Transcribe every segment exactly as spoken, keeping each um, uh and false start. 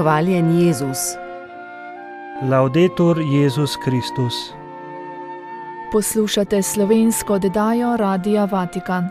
Hvaljen Jezus. Laudetur Jezus Kristus. Poslušate slovensko oddajo Radia Vatikan.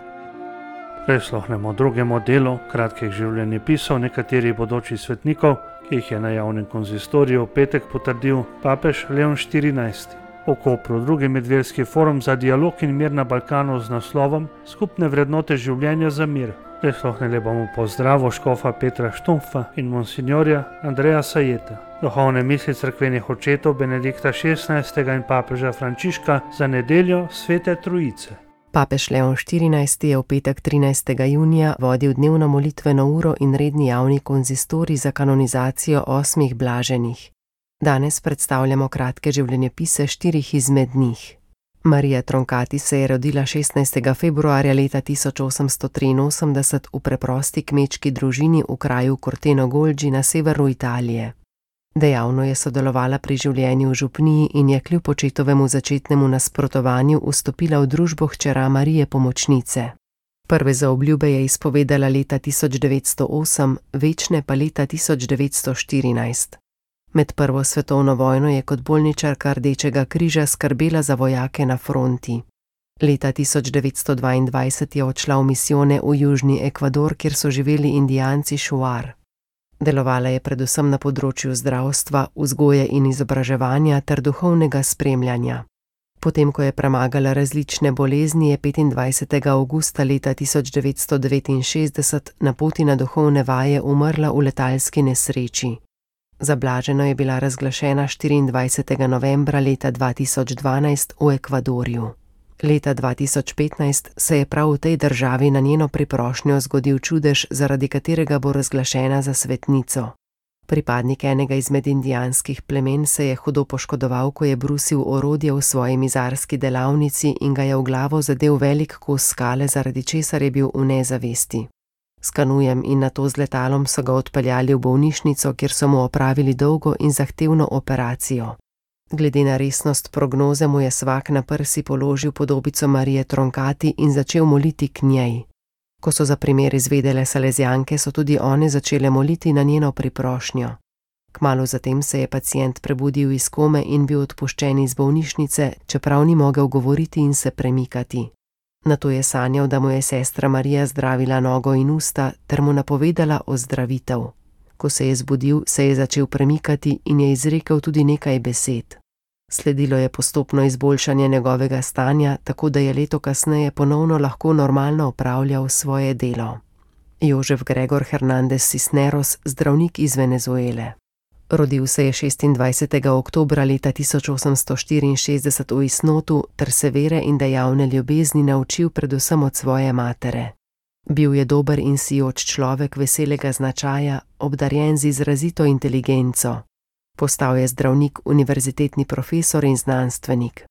Prisluhnemo drugemu delu kratkih življenjepisov nekaterih bodočih svetnikov, ki jih je na javnem konzistoriju v petek potrdil papež Leon štirinajsti. V Kopru drugi medverski forum za dialog in mir na Balkanu z naslovom Skupne vrednote življenja za mir. Prisluhnili bomo pozdravu škofa Petra Štumfa in monsignorja Andreja Sajeta, duhovne misli cerkvenih očetov Benedikta šestnajstega in papeža Frančiška za nedeljo Svete Trojice. Papež Leon štirinajsti je v petek trinajstega junija vodil dnevno molitveno uro in redni javni konzistorij za kanonizacijo osmih blaženih. Danes predstavljamo kratke življenjepise štirih izmed njih. Marija Troncati se je rodila šestnajstega februarja leta tisoč osemsto triinosemdeset v preprosti kmečki družini v kraju Corteno Golgi na severu Italije. Dejavno je sodelovala pri življenju v župniji in je kljub očetovemu začetnemu nasprotovanju vstopila v družbo hčera Marije Pomočnice. Prve zaobljube je izpovedala leta tisoč devetsto osem, večne pa leta tisoč devetsto štirinajst. Med prvo svetovno vojno je kot bolničarka Rdečega križa skrbela za vojake na fronti. Leta tisoč devetsto dvaindvajset je odšla v misijone v južni Ekvador, kjer so živeli indijanci Šuar. Delovala je predvsem na področju zdravstva, vzgoje in izobraževanja ter duhovnega spremljanja. Potem, ko je premagala različne bolezni, je petindvajsetega avgusta leta tisoč devetsto devetinšestdeset na poti na duhovne vaje umrla v letalski nesreči. Za blaženo je bila razglašena štiriindvajsetega novembra leta dva tisoč dvanajst v Ekvadorju. Leta dva tisoč petnajst se je prav v tej državi na njeno priprošnjo zgodil čudež, zaradi katerega bo razglašena za svetnico. Pripadnik enega izmed indijanskih plemen se je hudo poškodoval, ko je brusil orodje v svoji mizarski delavnici in ga je v glavo zadel velik kos skale, zaradi česar je bil v nezavesti. S kanujem in nato z letalom so ga odpeljali v bolnišnico, kjer so mu opravili dolgo in zahtevno operacijo. Glede na resnost prognoze mu je svak na prsi položil podobico Marije Troncati in začel moliti k njej. Ko so za primer izvedele Salezijanke, so tudi one začele moliti na njeno priprošnjo. Kmalu zatem se je pacient prebudil iz kome in bil odpuščen iz bolnišnice, čeprav ni mogel govoriti in se premikati. Nato je sanjal, da mu je sestra Marija zdravila nogo in usta ter mu napovedala ozdravitev. Ko se je zbudil, se je začel premikati in je izrekel tudi nekaj besed. Sledilo je postopno izboljšanje njegovega stanja, tako da je leto kasneje ponovno lahko normalno opravljal svoje delo. Jožef Gregor Hernandez Cisneros, zdravnik iz Venezuele. Rodil se je šestindvajsetega oktobra leta tisoč osemsto štiriinšestdeset v Isnotu ter se vere in dejavne ljubezni naučil predvsem od svoje matere. Bil je dober in sijoč človek veselega značaja, obdarjen z izrazito inteligenco. Postal je zdravnik, univerzitetni profesor in znanstvenik.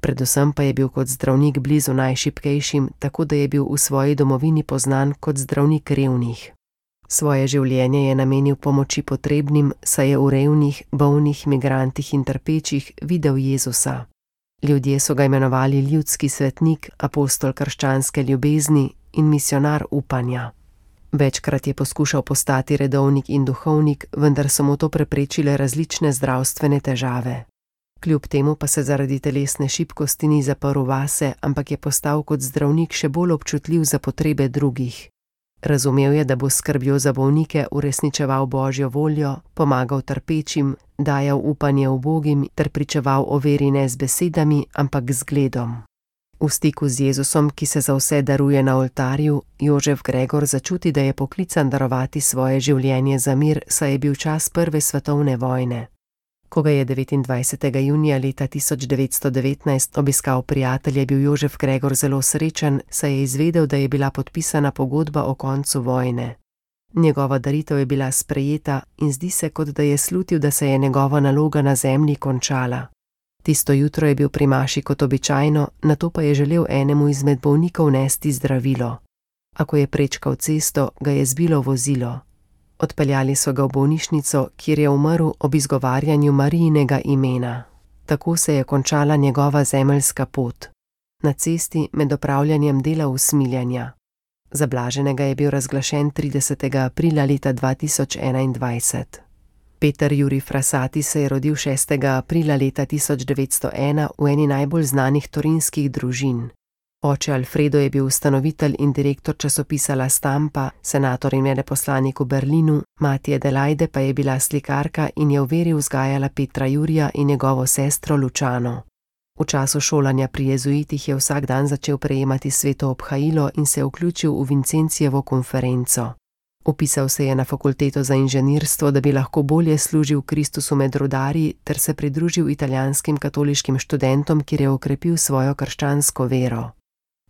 Predvsem pa je bil kot zdravnik blizu najšibkejšim, tako da je bil v svoji domovini poznan kot zdravnik revnih. Svoje življenje je namenil pomoči potrebnim, saj je v revnih, bolnih, migrantih in trpečih videl Jezusa. Ljudje so ga imenovali ljudski svetnik, apostol krščanske ljubezni in misionar upanja. Večkrat je poskušal postati redovnik in duhovnik, vendar so mu to preprečile različne zdravstvene težave. Kljub temu pa se zaradi telesne šibkosti ni zaprl vase, ampak je postal kot zdravnik še bolj občutljiv za potrebe drugih. Razumel je, da bo skrbjo za bolnike uresničeval Božjo voljo, pomagal trpečim, dajal upanje ubogim ter pričeval o veri ne z besedami, ampak z zgledom. V stiku z Jezusom, ki se za vse daruje na oltarju, Jožef Gregor začuti, da je poklican darovati svoje življenje za mir, saj je bil čas prve svetovne vojne. Ko ga je devetindvajsetega junija leta tisoč devetsto devetnajst obiskal prijatelj, je bil Jožef Gregor zelo srečen, saj je izvedel, da je bila podpisana pogodba o koncu vojne. Njegova daritev je bila sprejeta in zdi se, kot da je slutil, da se je njegova naloga na zemlji končala. Tisto jutro je bil pri maši kot običajno, nato pa je želel enemu izmed bolnikov nesti zdravilo. A ko je prečkal cesto, ga je zbilo vozilo. Odpeljali so ga v bolnišnico, kjer je umrl ob izgovarjanju Marijinega imena. Tako se je končala njegova zemeljska pot. Na cesti med opravljanjem dela usmiljanja. Za blaženega je bil razglašen tridesetega aprila leta dva tisoč enaindvajset. Peter Jurij Frassati se je rodil šestega aprila leta tisoč devetsto ena v eni najbolj znanih torinskih družin. Oče Alfredo je bil ustanovitelj in direktor časopisa La Stampa, senator in veleposlanik v Berlinu, mati Adelaide pa je bila slikarka in je v veri vzgajala Petra Jurija in njegovo sestro Lučano. V času šolanja pri jezuitih je vsak dan začel prejemati sveto obhajilo in se vključil v Vincencijevo konferenco. Upisal se je na fakulteto za inženirstvo, da bi lahko bolje služil Kristusu med rudarji ter se pridružil italijanskim katoliškim študentom, kjer je okrepil svojo krščansko vero.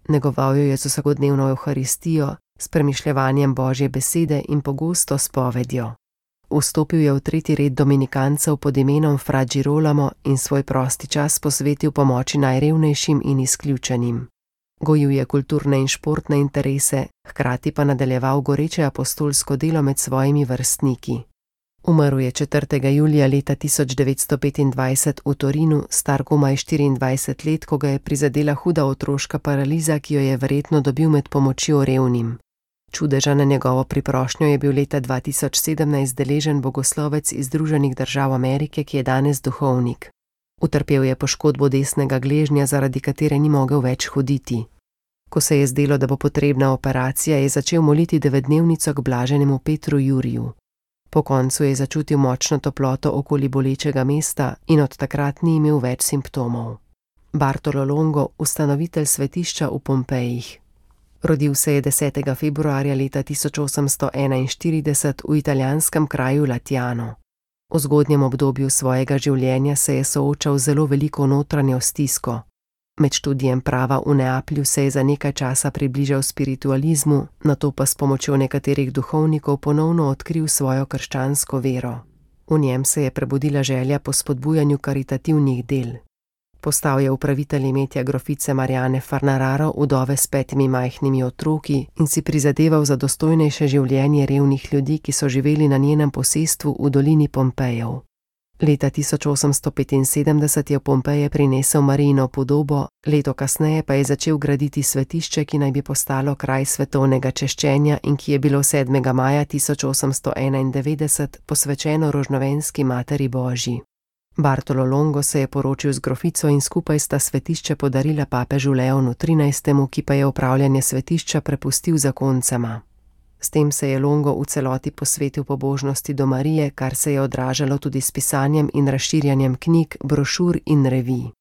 Negoval jo je z vsakodnevno evharistijo, s premišljevanjem Božje besede in pogosto spovedjo. Vstopil je v tretji red dominikancev pod imenom Fra Girolamo in svoj prosti čas posvetil pomoči najrevnejšim in izključenim. Gojil je kulturne in športne interese, hkrati pa nadaljeval goreče apostolsko delo med svojimi vrstniki. Umrl je četrtega julija leta tisoč devetsto petindvajset v Torinu, star komaj štiriindvajset let, ko ga je prizadela huda otroška paraliza, ki jo je verjetno dobil med pomočjo revnim. Čudeža na njegovo priprošnjo je bil leta dva tisoč sedemnajst deležen bogoslovec iz Združenih držav Amerike, ki je danes duhovnik. Utrpel je poškodbo desnega gležnja, zaradi katere ni mogel več hoditi. Ko se je zdelo, da bo potrebna operacija, je začel moliti devetdnevnico k blaženemu Petru Juriju. Po koncu je začutil močno toploto okoli bolečega mesta in od takrat ni imel več simptomov. Bartolo Longo, ustanovitelj svetišča v Pompejih. Rodil se je desetega februarja leta tisoč osemsto enainštirideset v italijanskem kraju Latiano. V zgodnjem obdobju svojega življenja se je soočal z zelo veliko notranjo stisko. Med študijem prava v Neaplju se je za nekaj časa približal spiritualizmu, nato pa s pomočjo nekaterih duhovnikov ponovno odkril svojo krščansko vero. V njem se je prebudila želja po spodbujanju karitativnih del. Postal je upravitelj imetja grofice Mariane Farnararo, vdove s petimi majhnimi otroki, in si prizadeval za dostojnejše življenje revnih ljudi, ki so živeli na njenem posestvu v dolini Pompejev. Leta tisoč osemsto petinsedemdeset je v Pompeje prinesel Marijino podobo, leto kasneje pa je začel graditi svetišče, ki naj bi postalo kraj svetovnega češčenja in ki je bilo sedmega maja tisoč osemsto enaindevetdeset posvečeno Rožnovenski Materi Božji. Bartolo Longo se je poročil z grofico in skupaj sta svetišče podarila papežu Leonu trinajstemu, ki pa je upravljanje svetišča prepustil zakoncema. S tem se je Longo v celoti posvetil pobožnosti do Marije, kar se je odražalo tudi s pisanjem in razširjanjem knjig, brošur in revij.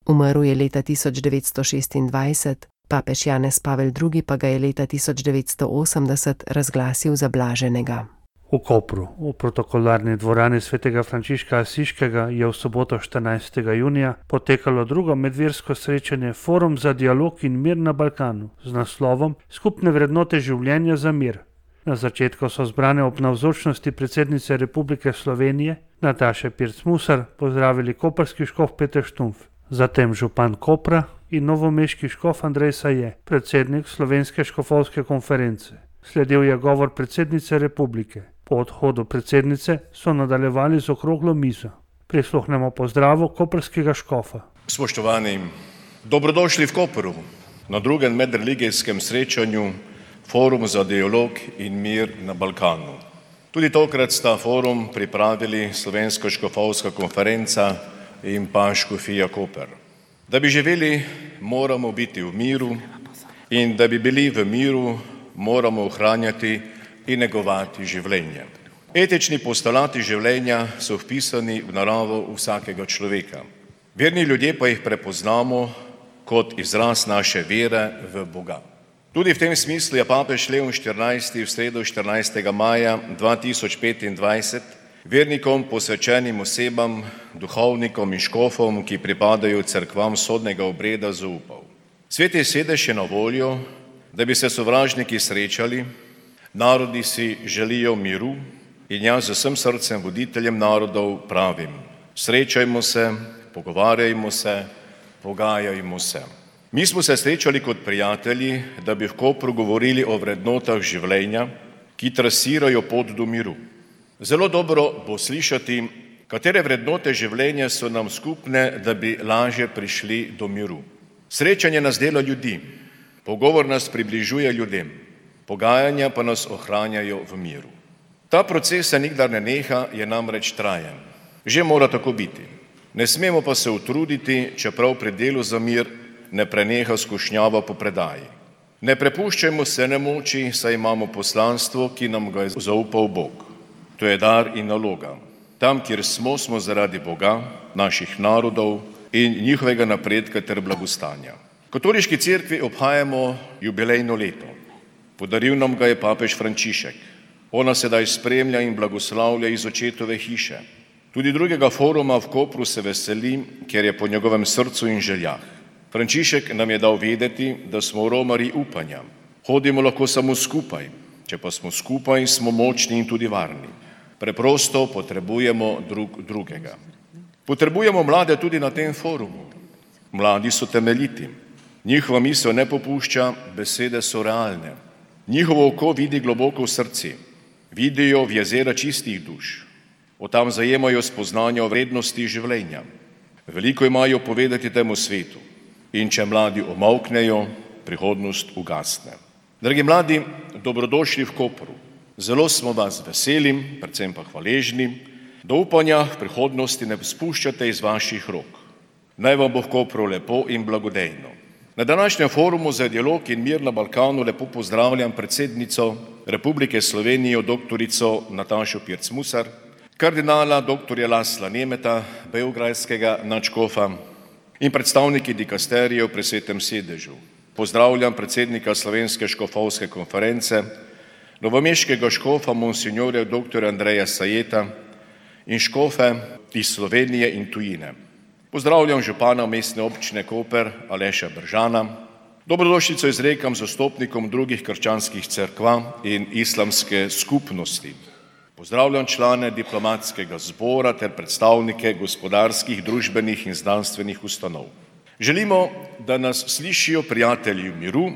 Umrl je leta tisoč devetsto šestindvajset, papež Janez Pavel drugi pa ga je leta tisoč devetsto osemdeset razglasil za blaženega. V Kopru, v protokolarni dvorani svetega Frančiška Asiškega, je v soboto štirinajstega junija potekalo drugo medversko srečanje Forum za dialog in mir na Balkanu z naslovom Skupne vrednote življenja za mir. Na začetku so zbrane ob navzočnosti predsednice Republike Slovenije Nataše Pirc-Musar pozdravili koprski škof Peter Štumpf, zatem župan Kopra in novomeški škof Andrej Saje, predsednik Slovenske škofovske konference. Sledil je govor predsednice Republike. Po odhodu predsednice so nadaljevali z okroglo mizo. Prisluhnemo pozdravu koprskega škofa. Spoštovani, dobrodošli v Kopru na drugem medreligijskem srečanju Forum za dialog in mir na Balkanu. Tudi tokrat sta forum pripravili Slovenska škofovska konferenca in pa Škofija Koper. Da bi živeli, moramo biti v miru in da bi bili v miru, moramo ohranjati in negovati življenje. Etični postulati življenja so vpisani v naravo vsakega človeka. Verni ljudje pa jih prepoznamo kot izraz naše vere v Boga. Tudi v tem smislu je papež Leon štirinajsti v sredo štirinajstega maja dva tisoč petindvajset vernikom posvečenim osebam, duhovnikom in škofom, ki pripadajo cerkvam sodnega obreda, zaupal. Sveti sedež je na voljo, da bi se sovražniki srečali. Narodi si želijo miru in jaz z vsem srcem voditeljem narodov pravim: srečajmo se, pogovarjajmo se, pogajajmo se. Mi smo se srečali kot prijatelji, da bi v Kopru govorili o vrednotah življenja, ki trasirajo pot do miru. Zelo dobro bo slišati, katere vrednote življenja so nam skupne, da bi lažje prišli do miru. Srečanje nas dela ljudi, pogovor nas približuje ljudem, pogajanja pa nas ohranjajo v miru. Ta proces se nikdar ne neha, je namreč trajen. Že mora tako biti. Ne smemo pa se utruditi, čeprav pri delu za mir ne preneha skušnjava po predaji. Ne prepuščajmo se nemoči, saj imamo poslanstvo, ki nam ga je zaupal Bog. To je dar in naloga. Tam, kjer smo, smo zaradi Boga, naših narodov in njihovega napredka ter blagostanja. V Katoliški cerkvi obhajamo jubilejno leto. Podaril nam ga je papež Frančišek. Ona sedaj spremlja in blagoslavlja iz očetove hiše. Tudi drugega foruma v Kopru se veseli, ker je po njegovem srcu in željah. Frančišek nam je dal vedeti, da smo romarji upanja. Hodimo lahko samo skupaj. Če pa smo skupaj, smo močni in tudi varni. Preprosto potrebujemo drug drugega. Potrebujemo mlade tudi na tem forumu. Mladi so temeljiti. Njihova misel ne popušča, besede so realne. Njihovo oko vidi globoko v srci. Vidijo v jezera čistih duš. Od tam zajemajo spoznanja o vrednosti življenja. Veliko imajo povedati temu svetu. In če mladi omolknejo, prihodnost ugasne. Dragi mladi, dobrodošli v Kopru. Zelo smo vas veseli, predvsem pa hvaležni, da upanja v prihodnosti ne spuščate iz vaših rok. Naj vam bo v Kopru lepo in blagodejno. Na današnjem forumu za dialog in mir na Balkanu lepo pozdravljam predsednico Republike Slovenije, doktorico Natašo Pirc Musar, kardinala doktorja Lasla Nemeta, beograjskega nadškofa in predstavniki dikasterijev pri Svetem sedežu. Pozdravljam predsednika Slovenske škofovske konference, novomeškega škofa monsinjorja doktorja Andreja Sajeta in škofe iz Slovenije in tujine. Pozdravljam župana mestne občine Koper Aleša Bržana. Dobrodošlico izrekam zastopnikom drugih krščanskih cerkva in islamske skupnosti. Pozdravljam člane diplomatskega zbora ter predstavnike gospodarskih, družbenih in znanstvenih ustanov. Želimo, da nas slišijo prijatelji v miru,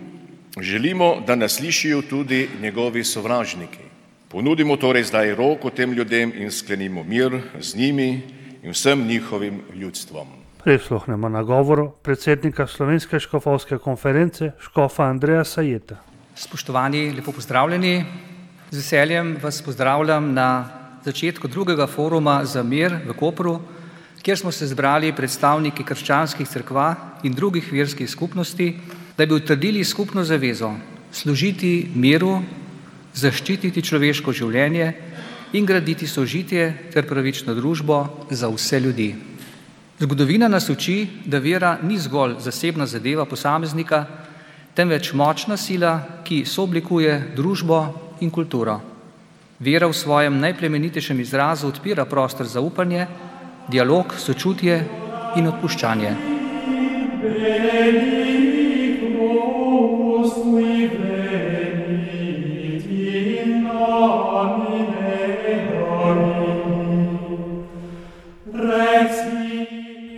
želimo, da nas slišijo tudi njegovi sovražniki. Ponudimo torej zdaj roko tem ljudem in sklenimo mir z njimi in vsem njihovim ljudstvom. Prisluhnemo nagovoru predsednika Slovenske škofovske konference, škofa Andreja Sajeta. Spoštovani, lepo pozdravljeni. Z veseljem vas pozdravljam na začetku drugega foruma za mir v Kopru, kjer smo se zbrali predstavniki krščanskih cerkva in drugih verskih skupnosti, da bi utrdili skupno zavezo služiti miru, zaščititi človeško življenje in graditi sožitje ter pravično družbo za vse ljudi. Zgodovina nas uči, da vera ni zgolj zasebna zadeva posameznika, temveč močna sila, ki sooblikuje družbo in kulturo. Vera v svojem najplemenitejšem izrazu odpira prostor za upanje, dialog, sočutje in odpuščanje.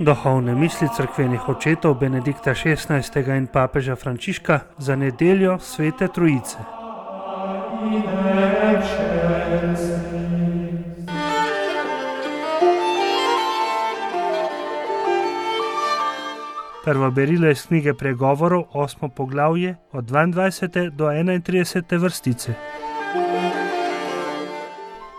Duhovne misli cerkvenih očetov Benedikta šestnajstega in papeža Frančiška za nedeljo Svete Trojice. Prvo berilo iz knjige Pregovorov, osmo poglavje, od dvaindvajsete do enaintridesete vrstice.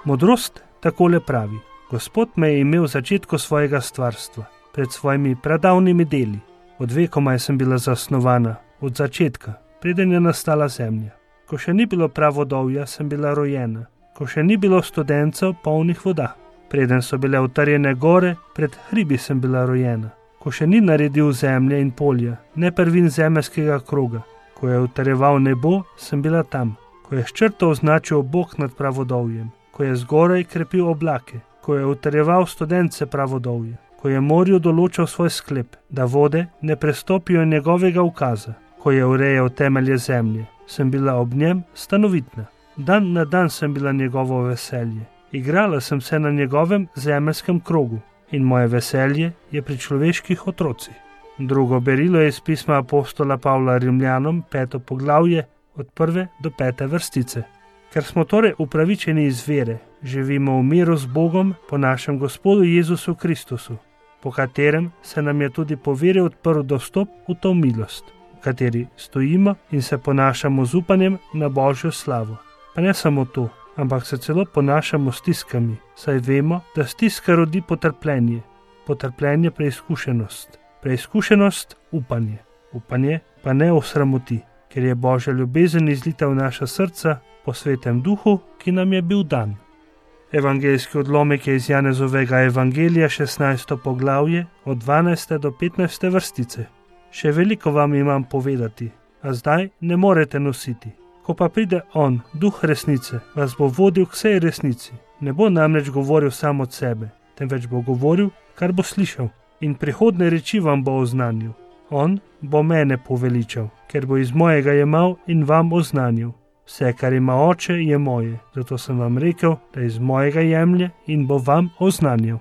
Modrost takole pravi: Gospod me je imel v začetku svojega stvarstva, pred svojimi pradavnimi deli. Od vekomaj sem bila zasnovana, od začetka, preden je nastala zemlja. Ko še ni bilo pravodovja, sem bila rojena, ko še ni bilo studencev polnih voda. Preden so bile utrjene gore, pred hribi sem bila rojena. Ko še ni naredil zemlje in polja, ne prvin zemeljskega kroga. Ko je utrjeval nebo, sem bila tam. Ko je s črto označil Bog nad pravodovjem. Ko je zgoraj krepil oblake. Ko je utrjeval studence pravodovje. Ko je morju določal svoj sklep, da vode ne prestopijo njegovega ukaza. Ko je urejal temelje zemlje, sem bila ob njem stanovitna. Dan na dan sem bila njegovo veselje. Igrala sem se na njegovem zemeljskem krogu in moje veselje je pri človeških otrocih. Drugo berilo je iz pisma apostola Pavla Rimljanom, peto poglavje, od prve do pete vrstice. Ker smo torej upravičeni iz vere, živimo v miru z Bogom po našem Gospodu Jezusu Kristusu, po katerem se nam je tudi po veri odprl dostop v to milost, v kateri stojimo in se ponašamo z upanjem na Božjo slavo. Pa ne samo to, ampak se celo ponašamo s stiskami, saj vemo, da stiska rodi potrpljenje, potrpljenje preizkušenost, preizkušenost upanje, upanje pa ne osramoti, ker je Božja ljubezen izlita v naša srca po Svetem Duhu, ki nam je bil dan. Evangeljski odlomek je iz Janezovega evangelija, šestnajsto poglavje, od dvanajste do petnajste vrstice. Še veliko vam imam povedati, a zdaj ne morete nositi. Ko pa pride On, Duh resnice, vas bo vodil k vsej resnici. Ne bo namreč govoril sam od sebe, temveč bo govoril, kar bo slišal, in prihodne reči vam bo oznanil. On bo mene poveličal, ker bo iz mojega jemal in vam oznanil. Vse, kar ima Oče, je moje, zato sem vam rekel, da iz mojega jemlje in bo vam oznanil.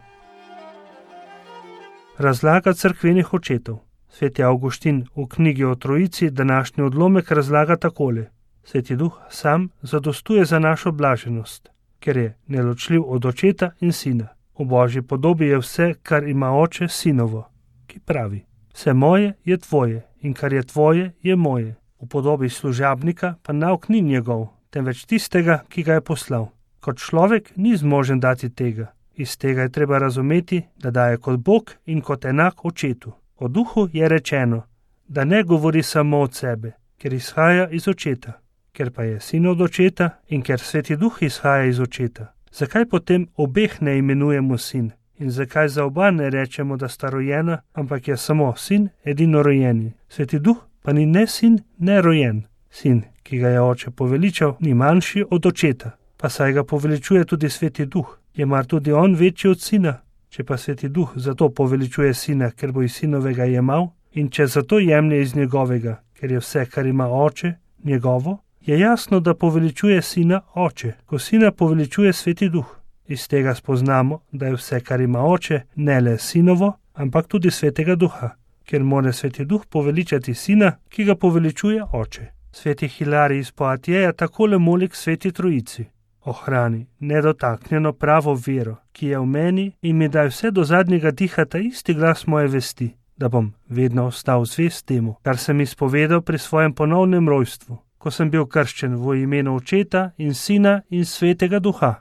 Razlaga cerkvenih očetov. Sveti Avguštin v knjigi o Trojici današnji odlomek razlaga takole. Sveti Duh sam zadostuje za našo blaženost, ker je neločljiv od Očeta in Sina. V Božji podobi je vse, kar ima Oče, Sinovo, ki pravi: vse moje je tvoje in kar je tvoje je moje. V podobi služabnika pa nauk ni njegov, temveč tistega, ki ga je poslal. Kot človek ni zmožen dati tega. Iz tega je treba razumeti, da daje kot Bog in kot enak Očetu. O Duhu je rečeno, da ne govori samo od sebe, ker izhaja iz Očeta, ker pa je Sin od Očeta in ker Sveti Duh izhaja iz Očeta. Zakaj potem obeh ne imenujemo sin? In zakaj za oba ne rečemo, da sta rojena, ampak je samo sin edinorojeni? Sveti Duh pa ni ne sin, ne rojen. Sin, ki ga je Oče poveličal, ni manjši od Očeta, pa saj ga poveličuje tudi Sveti Duh. Je mar tudi on večji od Sina? Če pa Sveti Duh zato poveličuje Sina, ker bo iz Sinovega jemal, in če zato jemlje iz njegovega, ker je vse, kar ima Oče, njegovo, je jasno, da poveličuje Sina Oče, ko Sina poveličuje Sveti Duh. Iz tega spoznamo, da je vse, kar ima Oče, ne le Sinovo, ampak tudi Svetega Duha, ker mora Sveti Duh poveličati Sina, ki ga poveličuje Oče. Sveti Hilarij iz Poatijeja takole moli k Sveti Trojici: ohrani nedotaknjeno pravo vero, ki je v meni, in mi daj vse do zadnjega diha ta isti glas moje vesti, da bom vedno ostal zvest temu, kar sem izpovedal pri svojem ponovnem rojstvu, ko sem bil krščen v imenu Očeta in Sina in Svetega Duha.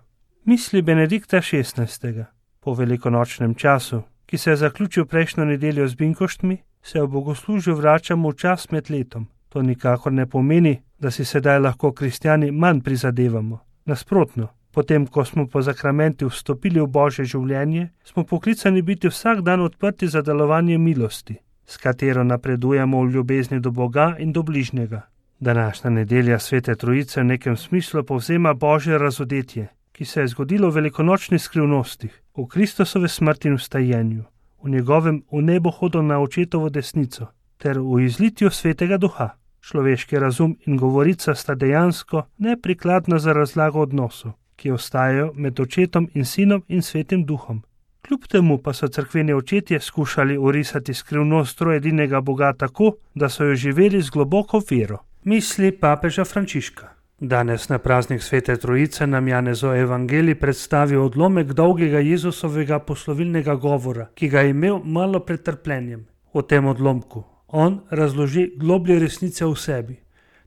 Misli Benedikta šestnajstega. Po velikonočnem času, ki se je zaključil prejšnjo nedeljo z binkoštmi, se v bogoslužju vračamo v čas med letom. To nikakor ne pomeni, da si sedaj lahko kristjani manj prizadevamo. Nasprotno, potem, ko smo po zakramenti vstopili v Božje življenje, smo poklicani biti vsak dan odprti za delovanje milosti, s katero napredujemo v ljubezni do Boga in do bližnjega. Današnja nedelja Svete Trojice v nekem smislu povzema Božje razodetje, ki se je zgodilo v velikonočnih skrivnostih, v Kristusove smrti in vstajenju, v njegovem v nebo hodu na Očetovo desnico, ter v izlitju Svetega Duha. Človeški razum in govorica sta dejansko neprikladna za razlago odnosov, ki ostajajo med Očetom in Sinom in Svetim Duhom. Kljub temu pa so cerkveni očetje skušali orisati skrivnost trojedinega Boga tako, da so jo živeli z globoko vero. Misli papeža Frančiška. Danes na praznik Svete Trojice nam Janezov evangelij predstavi odlomek dolgega Jezusovega poslovilnega govora, ki ga je imel malo pred trpljenjem. V tem odlomku on razloži globlje resnice v sebi,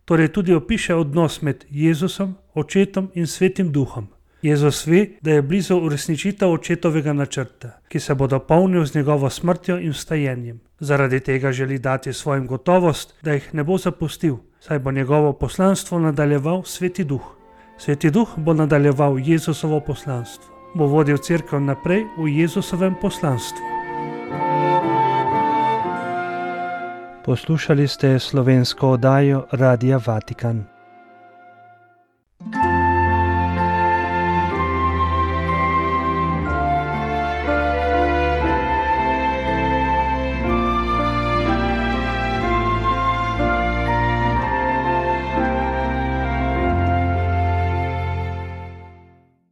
torej tudi opiše odnos med Jezusom, Očetom in Svetim Duhom. Jezus ve, da je blizu uresničitev Očetovega načrta, ki se bo dopolnil z njegovo smrtjo in vstajenjem. Zaradi tega želi dati svojim gotovost, da jih ne bo zapustil, saj bo njegovo poslanstvo nadaljeval Sveti Duh. Sveti Duh bo nadaljeval Jezusovo poslanstvo, bo vodil cerkev naprej v Jezusovem poslanstvu. Poslušali ste slovensko oddajo Radia Vatikan.